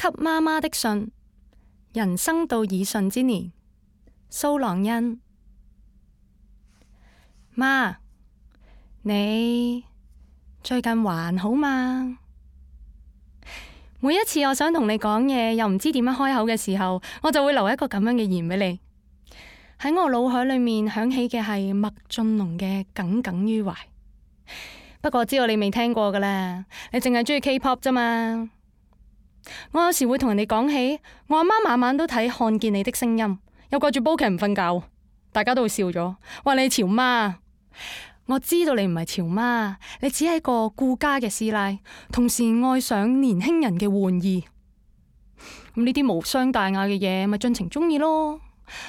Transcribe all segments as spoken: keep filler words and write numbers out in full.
給媽媽的信，人生到耳順之年，蘇朗恩。媽，你最近還好嗎？每一次我想同你講嘢，又唔知點樣開口嘅時候，我就會留一個咁樣嘅言俾你。喺我腦海裏面響起嘅係麥浚龍嘅《耿耿於懷》。不過知道你未聽過噶啦，你淨係中意 K-pop 啫嘛。我有時會同人哋講起，我阿媽晚晚都睇《看見你的聲音》，又掛住煲劇唔瞓覺，大家都會笑咗，話你潮媽。我知道你唔係潮媽，你只係個顧家嘅師奶，同時愛上年輕人嘅玩意。咁呢啲無傷大雅嘅嘢，咪盡情中意咯。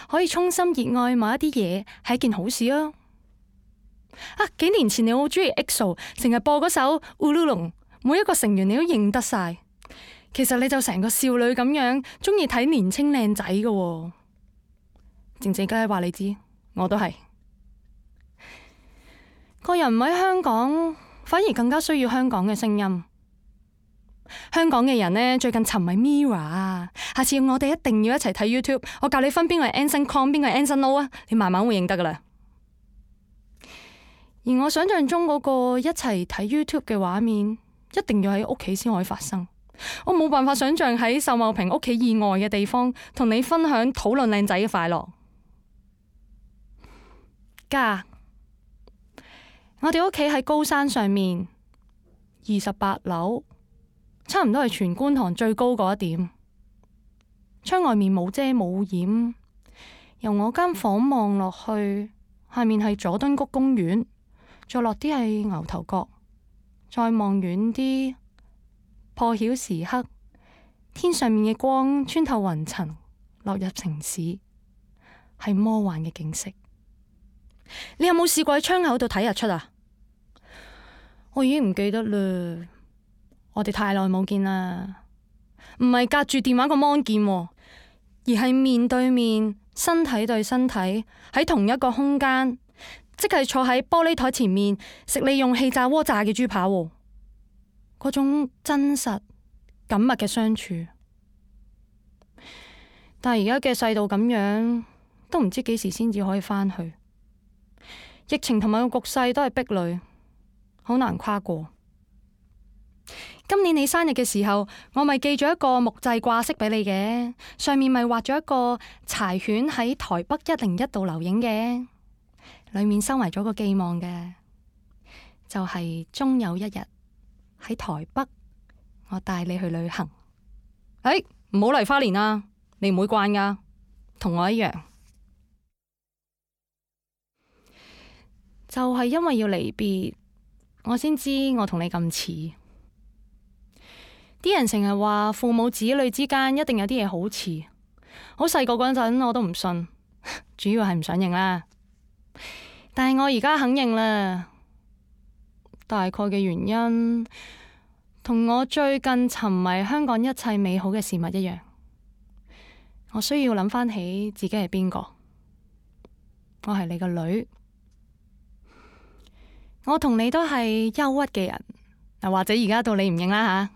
可以衷心熱愛某一啲嘢，係一件好事啊！啊，幾年前你好中意 E X O， 成日播嗰首《烏魯龍》，每一個成員你都認得晒。其實你就成個少女咁樣，中意睇年青靚仔嘅。靜靜雞話你知，我都係。個人唔喺香港，反而更加需要香港嘅聲音。香港嘅人呢，最近沉迷 Mirror 啊，下次我哋一定要一齊睇 YouTube， 我教你分邊個係 Anson Kong， 邊個係 Anson Lo 啊，你慢慢會認得噶啦。而我想象中嗰個一齊睇 YouTube 嘅畫面，一定要喺屋企先可以發生。我冇辦法想象喺秀茂坪屋企以外嘅地方，同你分享討論靚仔嘅快樂。家，我哋屋企喺高山上面，二十八樓，差唔多係全觀塘最高嗰一點。窗外面冇遮冇掩，由我間房望落去，下面係佐敦谷公園，再落啲係牛頭角，再望遠啲，破曉時刻，天上面嘅光穿透雲層，落入城市，係魔幻嘅景色。你有冇試過喺窗口度睇日出啊？我已經唔記得啦，我哋太耐冇見啦。唔係隔住電話個 mon 見，而係面對面，身體對身體喺同一個空間，即係坐喺玻璃台前面食你用氣炸鍋炸嘅豬扒，嗰種真實緊密嘅相處。但係而家嘅世道咁樣，都唔知幾時先至可以返去。疫情同埋個局勢都係壁壘，好難跨過。今年你生日嘅時候，我咪寄咗一個木製掛飾俾你嘅，上面咪畫咗一個柴犬喺台北一零一度留影嘅，裏面收埋咗個寄望嘅，就係終有一日喺台北，我帶你去旅行。哎，唔好嚟花蓮啊，你唔會慣噶，同我一樣。就係因為要離別，我先知我同你咁似。啲人成日話父母子女之間一定有啲嘢好似。好細個嗰陣我都唔信，主要係唔想認啦。但係我而家肯認啦。大概嘅原因同我最近沉迷香港一切美好嘅事物一樣。我需要諗翻起自己係邊個。我係你個女。我同你都係憂鬱嘅人，嗱，或者而家到你唔認啦吓。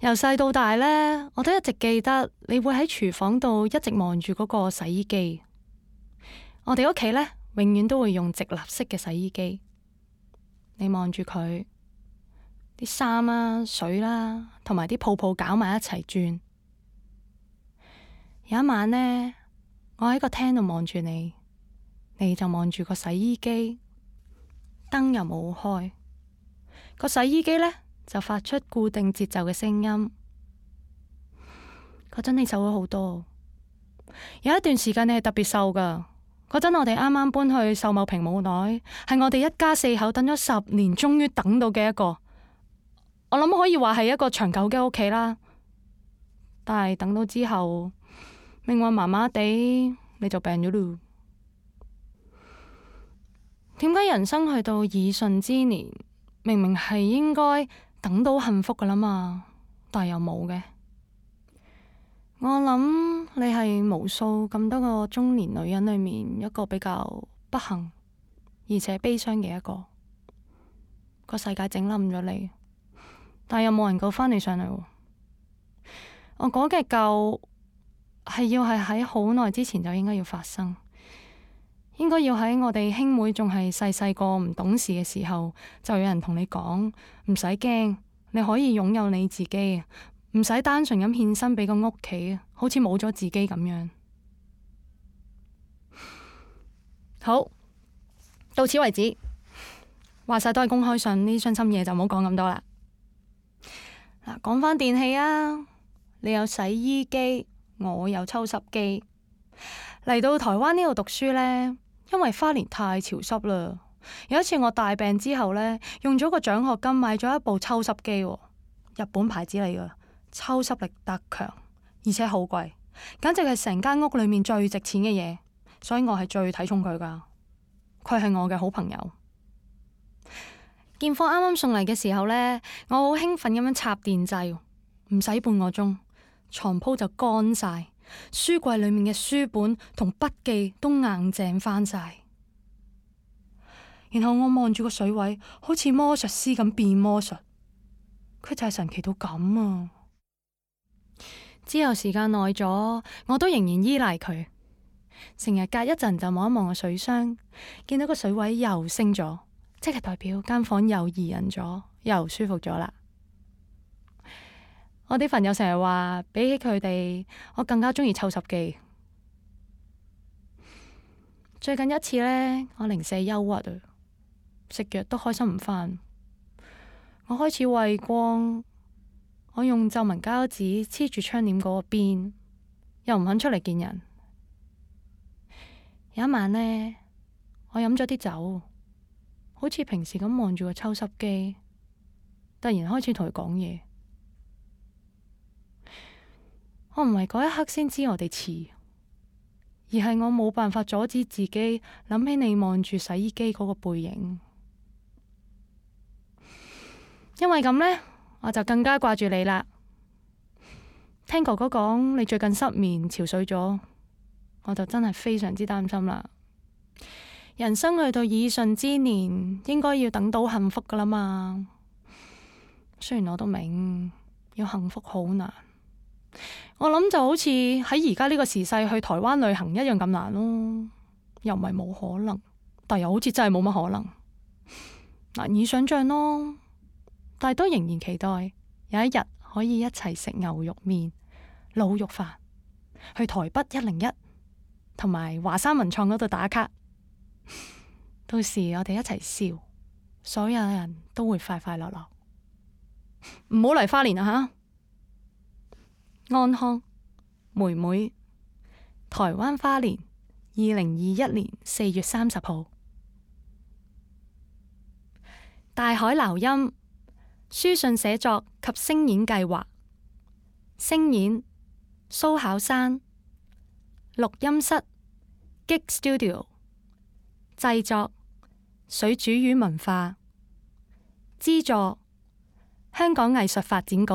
由細到大呢，我都一直記得你會喺廚房度一直望住嗰個洗衣機。我哋屋企呢，永遠都會用直立式嘅洗衣機。你望住佢，啲衫啦、水啦，同埋啲泡泡攪埋一齊轉。有一晚呢，我喺個廳度望住你，你就望住個洗衣機。燈又冇開，個洗衣機呢就發出固定節奏嘅聲音。嗰陣你瘦咗好多，有一段時間你係特別瘦噶。嗰陣我哋啱啱搬去秀茂坪冇耐，係我哋一家四口等咗十年，終於等到嘅一個。我諗可以話係一個長久嘅屋企啦。但係等到之後，命運麻麻地，你就病咗咯。點解人生去到耳順之年，明明係應該等到幸福噶啦嘛，但係又冇嘅？我諗你係無數咁多個中年女人裏面一個比較不幸而且悲傷嘅一個。個世界整冧咗你，但係又冇人救返你上嚟喎。我講嘅夠係要係喺好耐之前就應該要發生，應該要喺我哋兄妹仲係細細個唔懂事嘅時候，就有人同你講唔使驚，你可以擁有你自己，唔使單純咁獻身俾個屋企，好似冇咗自己咁樣。好，到此為止。話晒都係公開信，呢啲傷心嘢就唔好講咁多啦。嗱，講翻電器啊，你有洗衣機，我有抽濕機。嚟到台灣呢度讀書呢，因為花蓮太潮濕啦。有一次我大病之後呢，用咗個獎學金買咗一部抽濕機，日本牌子嚟噶，抽濕力特強，而且好貴，簡直係成間屋裏面最值錢嘅嘢。所以我係最睇重佢噶，佢係我嘅好朋友。件貨啱啱送嚟嘅時候呢，我好興奮咁樣插電掣，唔使半個鐘，床鋪就乾晒，書櫃裏面嘅書本同筆記都硬淨翻晒。然後我望住個水位，好似魔術師咁變魔術，佢就係神奇到咁啊！之後時間耐咗，我都仍然依賴佢。成日隔一陣就望一望個水箱，見到個水位又升咗，即係代表間房又宜人咗，又舒服咗啦。我啲朋友成日話，比起佢哋，我更加中意抽濕機。最近一次呢，我零舍憂鬱啊，食藥都開心唔返。我開始畏光，我用皺紋膠紙黐住窗簾嗰個邊，又唔肯出嚟見人。有一晚呢，我飲咗啲酒，好似平時咁望住個抽濕機，突然開始同佢講嘢。我唔係嗰一刻先知我哋似，而係我冇辦法阻止自己諗起你望住洗衣機嗰個背影。因為咁呢，我就更加掛住你啦。聽哥哥講你最近失眠憔悴咗，我就真係非常之擔心啦。人生去到耳順之年，應該要等到幸福噶啦嘛。雖然我都明要幸福好難，我諗就好似喺而家呢個時勢去台灣旅行一樣咁難咯。又唔係冇可能，但又好似真係冇乜可能，難以想象咯。但係都仍然期待有一日可以一齊食牛肉麵、滷肉飯，去台北一零一同埋華山文創嗰度打卡。到時我哋一齊笑，所有人都會快快樂樂。唔好嚟花蓮啊吓！安康妹妹，台灣花蓮，二零二一年四月三十號。大海撈音，書信寫作及聲演計劃，聲演蘇巧珊，錄音室 Gig Studio， 製作水煮魚文化，資助香港藝術發展局。